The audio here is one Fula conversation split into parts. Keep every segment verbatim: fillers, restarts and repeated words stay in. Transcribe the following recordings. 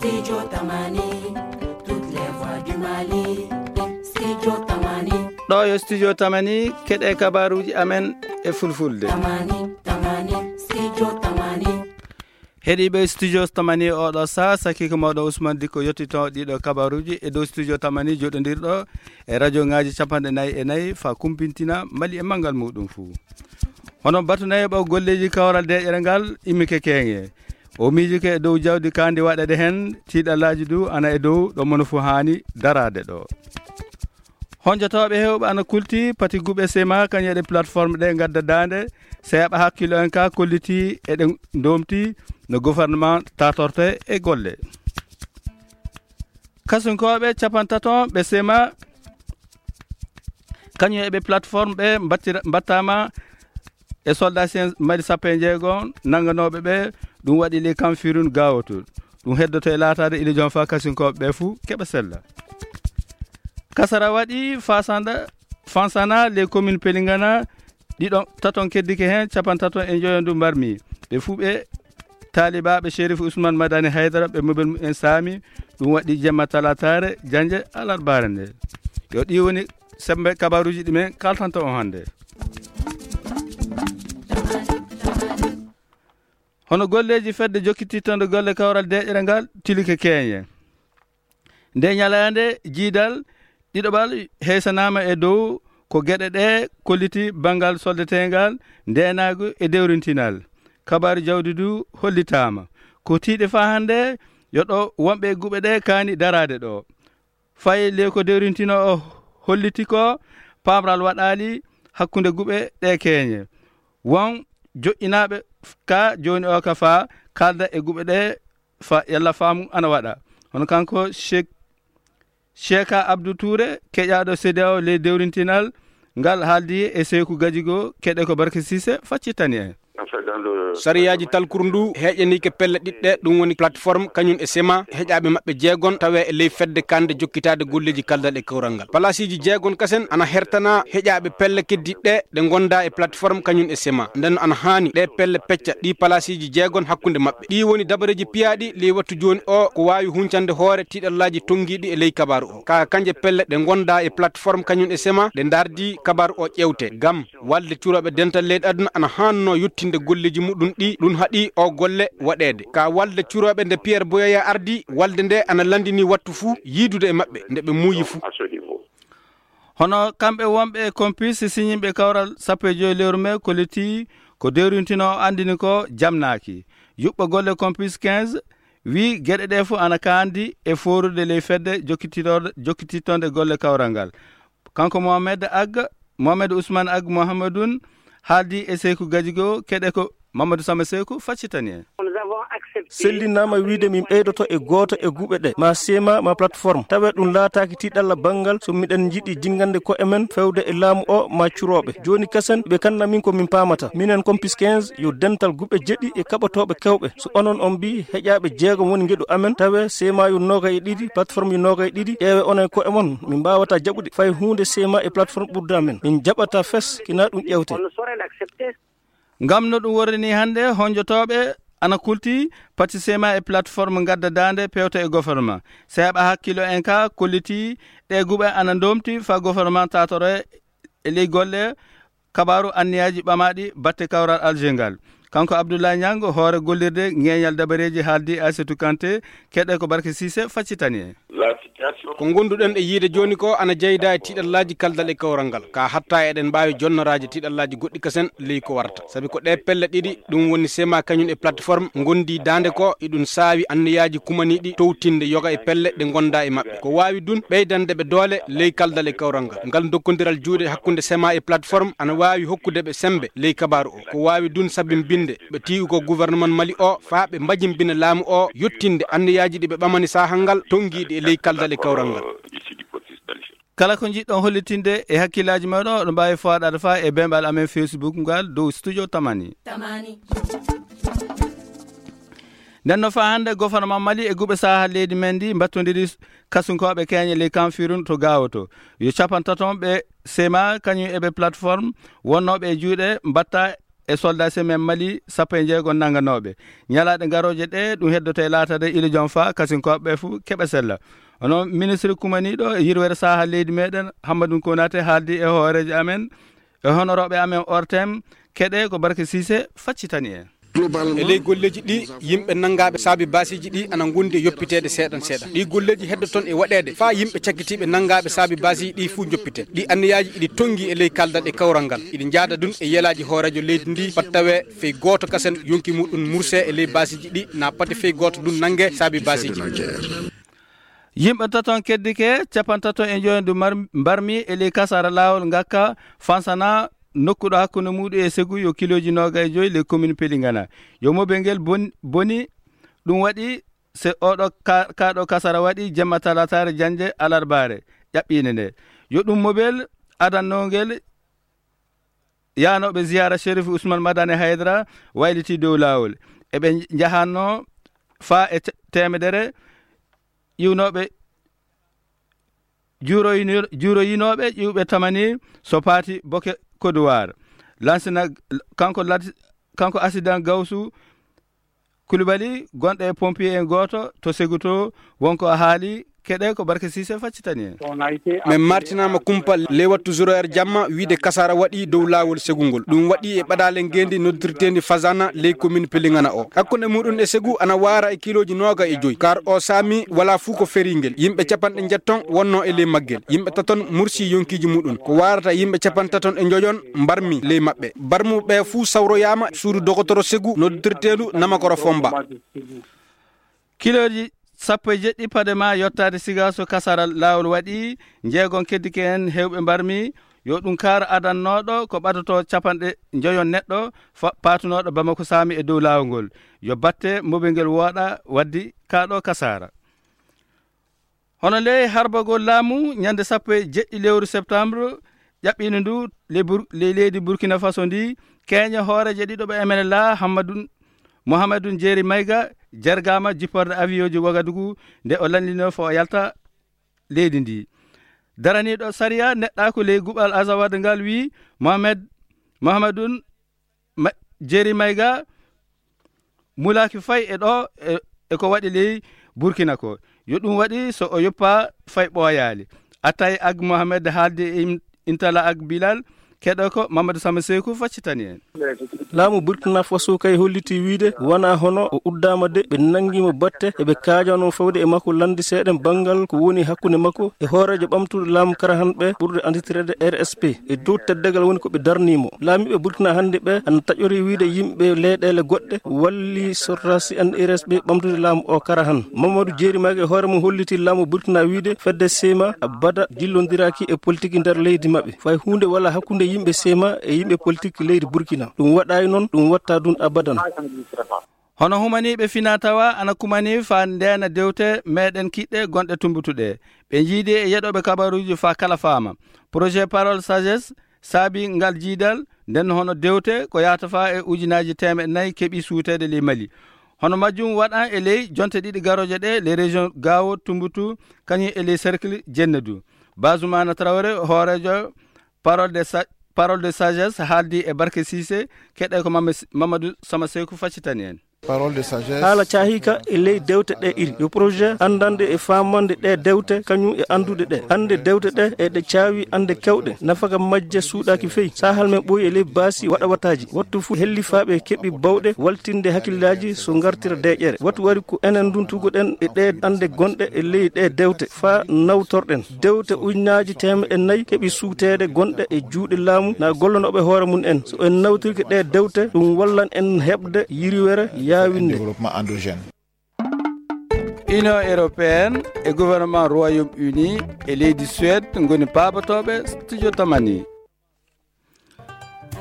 Studio Tamani, toutes les voix du Mali. Studio Tamani. Ɗo yo Studio Tamani, keɗe kabaruji amen e fulfulde. Tamani, Tamani, Studio Tamani. Heɗiiɓe Studio Tamani, oɗo sa sakiko mawɗo Ousmane Dikko yottito ɗiɗo kabaruji e dow Studio Tamani joɗodirɗo e radio ngaji capanɗe nayi e nayi fa kumpintina Mali e mangal muɗum fuu. Hono batu nayi ɓo golleji kawral deƴere ngal immike keŋe. O miijike e dow jawdi kandi waɗede heen, tiiɗallaaji du ana e dow ɗo mono fuu haani daraade ɗo. Honjotooɓe heewɓe ana kulti pati guɓe sema kañum e ɗe plateforme ɗe ngadda daande, so heɓa hakkilo en ka kolliti eɗe ndomti no gouvernement tatorte e golle. Kasunkooɓe capantato ɓe sema kañum e ɓe plateforme ɓe mbattira- mbattama e soldat sen mali sappo e jeego nanganooɓe ɓe. Ɗum waɗi ley kamfirun gawoto. Ɗum heddoto e laataade ilijon fa kasinkooɓe ɓe fuu keɓa sella. Kasara waɗi fasanda fansana ley commune pelingana ɗiɗo taton keddike heen capantato e njoyo ndu mbarmi. Ɓe fuu ɓe taalibaaɓe Chérif Ousmane Madani Haydara ɓe mobel mumen saami. Ɗum waɗi jemma talataare jannje alarbaare nde. Yo ɗi woni sembe kabaruuji ɗi men kaltanto on hannde. Hono golleeji fedde jokkitittonde golle kawral deƴere ngal tilike keeñe. Nde ñalaande jiidal ɗiɗoɓal heysanaama e dow ko geɗe ɗe kolliti banngal soldetengal, ndeenaagu e dewrintinal. Kabaaru jawdi du hollitaama. Ko tiiɗe faa hannde yo ɗo wonɓe e guɓe ɗe kaani daraade ɗo. Fayi ley ko dewrintino o holliti ko pamral waɗaali hakkunde guɓe ɗe keeñe. Won joƴƴinaaɓe ka jooni o ka faa kalda e guɓe ɗe fa yalla faamu ana waɗa. Hono kanko Cheikh Cheikha Abdou Touré, keƴaaɗo C D A O ley dewrintinal ngal haaldi e Seyku Gajigo, keɗe ko Barke Sise faccitani en. Sariyaaji talkuru ndu heƴanike pelle ɗiɗɗe, ɗum woni plateforme kañum e sema heƴaaɓe maɓɓe jeegon tawe e ley fedde kande jokkitaade golleeji kaldal e kawral ngal. Palaasiiji jeegon kasen ana hertana heƴaaɓe pelle keddiɗɗe ɗe gonda e plateforme kañum e sema. Nden ana haani ɗe pelle pecca ɗi palaasiiji jeegon hakkunde maɓɓe. Ɗi woni dabareeji piyaaɗi ley wattu jooni o ko waawi huncande hoore tiiɗallaaji tongiiɗi e ley kabaaru o. Ka kanje pelle ɗe gonda e plateforme kañum e sema ɗe ndardi kabaaru o ƴewte. Gam walde curooɓe dental leyɗe aduna ana haanno yottinde golleeji muɗum ɗi ɗum haɗi o golle waɗeede. Ka walde curooɓe nde Pierre Boyaya ardi, walde nde ana landini wattu fuu yiidude e maɓɓe nde ɓe muuyi fuu. Hono kamɓe wonɓe e Compis siñinɓe kawral sappo e joy lewru me kolliti ko dewrintino o andini ko jamnaaki. Yuɓɓo golle Compis quinze wi geɗe ɗe fuu ana kaandi e foorude ley fedde jokkititorde- jokkitittonde golle kawral ngal. Kanko Mohamed Ag, Mohamed Ousmane Ag Mohamedoun haaldi e Seyku Gajigo, keɗe ko Mamadou Sama Seyku faccitani en. Sellinaama wiide min ɓeydoto e gooto e guɓe ɗe, ma sema, ma plateforme. Tawe ɗum laataaki tiiɗalla banngal so miɗen njiɗi jingande ko e men fewde e laamu o ma curooɓe. Jooni kasen ɓe kanna min ko min paamata. Minen Compis quinze yo dental guɓe jeɗi e kaɓotooɓe kewɓe. So onon on mbi heƴaaɓe jeegom woni ngeɗu amen, tawe sema yo noogay e ɗiɗi, plateforme yo noogay e ɗiɗi, ƴeewe onon e ko e mon. Min mbaawata jaɓude fay huunde sema e plateforme ɓurda men. Min jaɓata fes kina ɗum ƴewte. Ngam no ɗum worrini hannde, honjotooɓe ana kulti pati sema e plateforme ngadda daande pewta e gouvernement. Seeɓa hakkilo en ka kolliti ɗe guɓe ana ndomti fa gouvernement tatore e ley golle kabaaru anniyaaji ɓamaaɗi batte kawral Alger ngal. Kanko Abdoulaye Niang, hoore gollirde ŋeeñal dabareeji haaldi Aissatou Kanté, keɗe ko Barke Sise faccitani en. Ko ngonduɗen e yiide jooni ko ana jeyda e tiiɗallaaji kaldal e kawral ngal. Ka hatta eɗen mbaawi jonnoraaji tiiɗallaaji goɗɗi kasen ley ko warata. Sabi ko ɗe pelle ɗiɗi, ɗum woni sema kañum e plateforme, ngondi daande ko, iɗum saawi anniyaaji kumaniiɗi towtinde yoga e pelle ɗe ngonda e maɓɓe. Ko waawi dun ɓeydande ɓe doole ley kaldal e kawral ngal. Ngal dokkondiral juuɗe hakkunde sema e plateforme ana waawi hokkude ɓe sembe ley kabaaru o. Ko waawi dun sabimbinde ɓe tiigu ko gouvernement Mali o faa ɓe mbajimbina laamu o yottinde anniyaaji ɗi ɓe ɓamani saahal ngal tongiiɗi e ley kaldal e kawral ngal. Kala ko njiɗɗon hollitinde e hakkillaaji mooɗon, oɗon mbaawi fooɗaade faa e bemɓal amen Facebook ngal dow Studio Tamani. Tamani. Nden no faa hannde, gouvernement Mali e guɓe saha leydi men ndi mbattondiri kasunkooɓe keeñe ley Kanfirun to Gaawo to. Yo capantato ɓe sema kañum e ɓe plateforme wonnooɓe e juuɗe mbatta e soldat semaine Mali sappo e jeego nannganooɓe. Ñalaaɗe garooje ɗe, ɗum heddoto e laatade ilo jom faa kasinkooɓe ɓe fuu keɓa sella. Hono ministre kumaniiɗo e yirwere saha leydi meɗen, Hammadou Konaté, haaldi e hooreejo amen e honorooɓe amen O R T M, keɗe ko Barke Cissé faccitani en. E ley golleeji ɗi, yimɓe nanngaaɓe saabi baasiiji ɗi ana ngondi e yoppiteede seeɗan seeɗan. Ɗi golleeji heddo toon e waɗeede faa yimɓe cakkitiiɓe nanngaaɓe saabi baasiiji ɗi fuu njoppite. Ɗi anniyaaji iɗi tonngi e ley kaldal e kawral ngal. Iɗi njaada ɗum e yelaaji hooreejo leydi ndi, fat tawee fey gooto kasen yonki muɗum murse e ley baasiiji ɗi, na pati fey gooto ɗum nannge saabi baasiiji. Yimɓe taton keddike, capantato e njoyon ɗum mar-, mbarmi e ley kasara laawol ngakka Fansana, nokkuɗo hakkunde muɗum e Segu yo kilooji noogay e joy ley commune Pelingana. Yo mobel ngel bon-, boni, ɗum waɗi se oɗo ka-, kaɗo kasara waɗi jemma talataare jannde alarbaare ƴaɓɓiinde nde. Yo ɗum mobel adannongel yaanooɓe ziyaara Sherif Ousmane Madani Haydara wayliti dow laawol. Eɓe njahanno faa e te-, teemedere iwnooɓe juuroyino-, juuroyinooɓe ƴiwɓe tamani so paati Boke Kodowar. Lansina kanko lad-, kanko accident Gawsu Koulibaly, gonɗo e pompier en gooto to Segu to, wonko haali, keɗe ko Barke Cissé faccitani en. Min martinaama kumpa ley wattu zéro heure jamma, wiide kasara waɗi dow laawol Segu ngol. Ɗum waɗi e ɓadaale ngeendi noddirteendi Fazana ley commune Pelingana o. Hakkunde muɗum e Segu ana waara e kilooji nooga e joy. Kar o saami wala fuu ko feringel. Yimɓe capanɗe njetton wonno e ley maggel. Yimɓe taton mursi yonkiiji muɗum. Ko waarata yimɓe capantaton e njoyon mbarmi ley maɓɓe. Barmuɓe fuu sawroyaama suudu dogotoro Segu noddirteendu Namakoro Fomba. Kilooji sappo e jeɗɗi paɗe ma yottaade Sigaso kasara laawol waɗi, njeegon keddike en heewɓe mbarmi, yo ɗum kaar adannooɗo ko ɓadoto capanɗe njoyon neɗɗo fa-, paatunooɗo Bamako Saami e dow laawol ngol. Yo batte mobel ngel wooɗa waddi kaaɗo kasara. Hono ley harbagol laamu ñande sappo e jeɗɗi lewru septembre, ƴaɓɓiino ndu ley Bur-, ley leydi Burkina Faso ndi, keeñe hooreeje ɗiɗo ɓe M N L A, Hammadun, Mohamedun Jeeri Mayga, jergaama jipporde avion ji Wagadugu nde o lanndiino fo o yalta leydi ndi. Daraniiɗo sariya neɗɗaaku ley guɓal Azawad ngal wii Mohamed, Mohamedun Ma-, Jeeri Mayga mulaaki fay e ɗo e, e ko waɗi ley Burkina ko. Yo ɗum waɗi so o yoppa fay ɓooyaali. Atay Ag Mohamed haaldi e im-, Intala Ag Bilal, keɗo ko Mamadou Sama Seeku faccitani en. Laamu Burkina Faso kay holliti wiide wonaa hono o uddaama de, ɓe nanngi mo batte, eɓe kaajano fawde e makko lannde seeɗen banngal ko woni hakkunde makko e hooreejo ɓamtuɗo laamu Karahan ɓe ɓurɗe annditireede R S P. E dow teddagal woni ko ɓe darnii mo. Laamiiɓe Burkina hannde ɓe ana taƴori wiide yimɓe leyɗeele goɗɗe walli sortasi en R S P ɓamtude laamu o Karahan. Mamadou Jeeri Mayga e hoore mum holliti laamu Burkina wiide fedde Sema abada jillondiraaki e politique nder leydi maɓɓe. Fay huunde wala hakkunde yimɓe Sema e yimɓe politique leydi Burkina. Ɗum waɗaay noon, ɗum watta ɗum abadan. Hono humaniiɓe fina tawa ana kumani faa ndeena dewte meɗen kiɗɗe gonɗe tumbutuɗe. Ɓe njiidi e yeɗooɓe kabaruuji faa kala faama. Projet Parole Sagesse saabi ngal jiidal, nden hono dewte ko yahata faa e ujunaaji teemeɗɗe nayi keɓi suuteede ley Mali. Hono majjum waɗan e ley jonte ɗiɗi garooje ɗe, ley région Gao, Tumbutu, kañum e ley cercle Jennadu. Bazumana Traoré, hooreejo Parole de Sa-, Parole de Sagesse haaldi e Barke Cissé, keɗe ko Mame-, Mamadou Sama Seeku faccitani en. Parole de Sagesse. Haala caahiika e ley dewte ɗe iri. Yo projet anndande e faamande ɗe dewte, kañum e anndude ɗe. Hannde dewte ɗe e ɗe caawi annde kewɗe. Nafaka majje suuɗaaki fey. Sahal men ɓooyi e ley baasi waɗa wataaji. Wattu fuu hellifaaɓe keɓi bawɗe waltinde hakillaaji so ngartira deeƴere. Wattu wari ko enen nduntugoɗen e ɗe annde gonɗe e ley ɗe dewte. Faa nawtorɗen dewte ujunaaji teemeɗɗe nayi keɓi suuteede gonɗe e juuɗe laamu na gollanooɓe hoore mum en. So en nawtirke ɗe dewte, ɗum wallan en heɓde yirwere yaawinde. Développement endogène. Union européenne e gouvernement Royaume-Uni e leydi Suède ngoni paabotooɓe studio Tamani.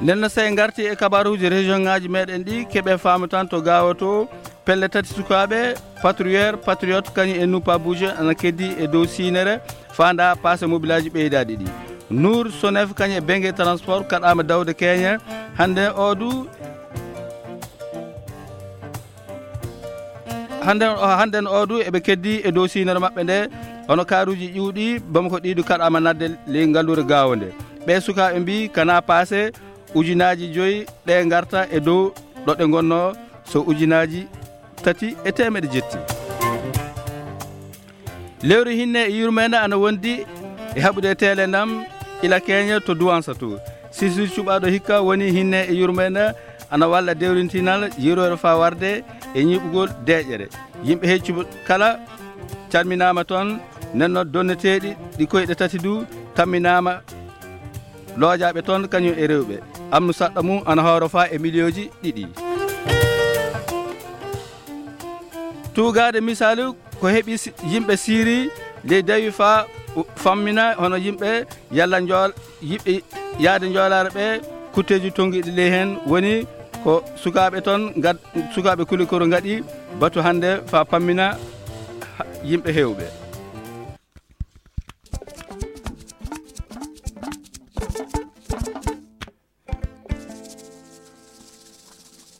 Nden no, so en ngarti e kabaruuji région ŋaaji meɗen ɗi, keɓe faamu tan to Gao to, pelle tati sukaaɓe, patrouilleur, patriote, kañum e Nupa Bouge ana keddi e dow siinere, faanda passe mobilaaji ɓeydaaɗi ɗi. Nour Sonef kañum e Benge Transport kaɗaama dawde keeñe. Hannde o du, Hannde o, hannde o du eɓe keddi e dow siinere maɓɓe nde, hono kaaruuji ƴuwɗi, Bamako ɗiɗi kaɗaama nadde ley ngalluure Gao nde. Ɓee sukaaɓe mbii kana passe, ujunaaji joyi ɗe ngarta e dow ɗo ɗe ngonnoo so ujunaaji tati e teemeɗe jetti. Lewru hinne e yurmeende ana wondi e haɓude e teele ndam ila keñe to Duwansa to. Sisir cuɓaaɗo hikka woni hinne e yurmeende ana walla dewrintinal yurore faa warde e ñiiɓugol deeƴere. Yimɓe heccuɓe kala calminaama toon, nenno donneteeɗi ɗi koyɗe tati du tamminaama loojaaɓe toon kañum e rewɓe. Amnu saɗɗa mum ana hooro faa e miliyooji ɗiɗi. Tuugaade misaalu ko heɓi si-, yimɓe Siiri ley dawi faa u-, fammina hono yimɓe yalla njool-, yiɓɓe yaade njoolaare ɓe kutteeji tonngiiɗi ley heen woni ko sukaaɓe toon ngad-, sukaaɓe Kulikoro ngaɗi batu hannde faa pammina ha-, yimɓe heewɓe.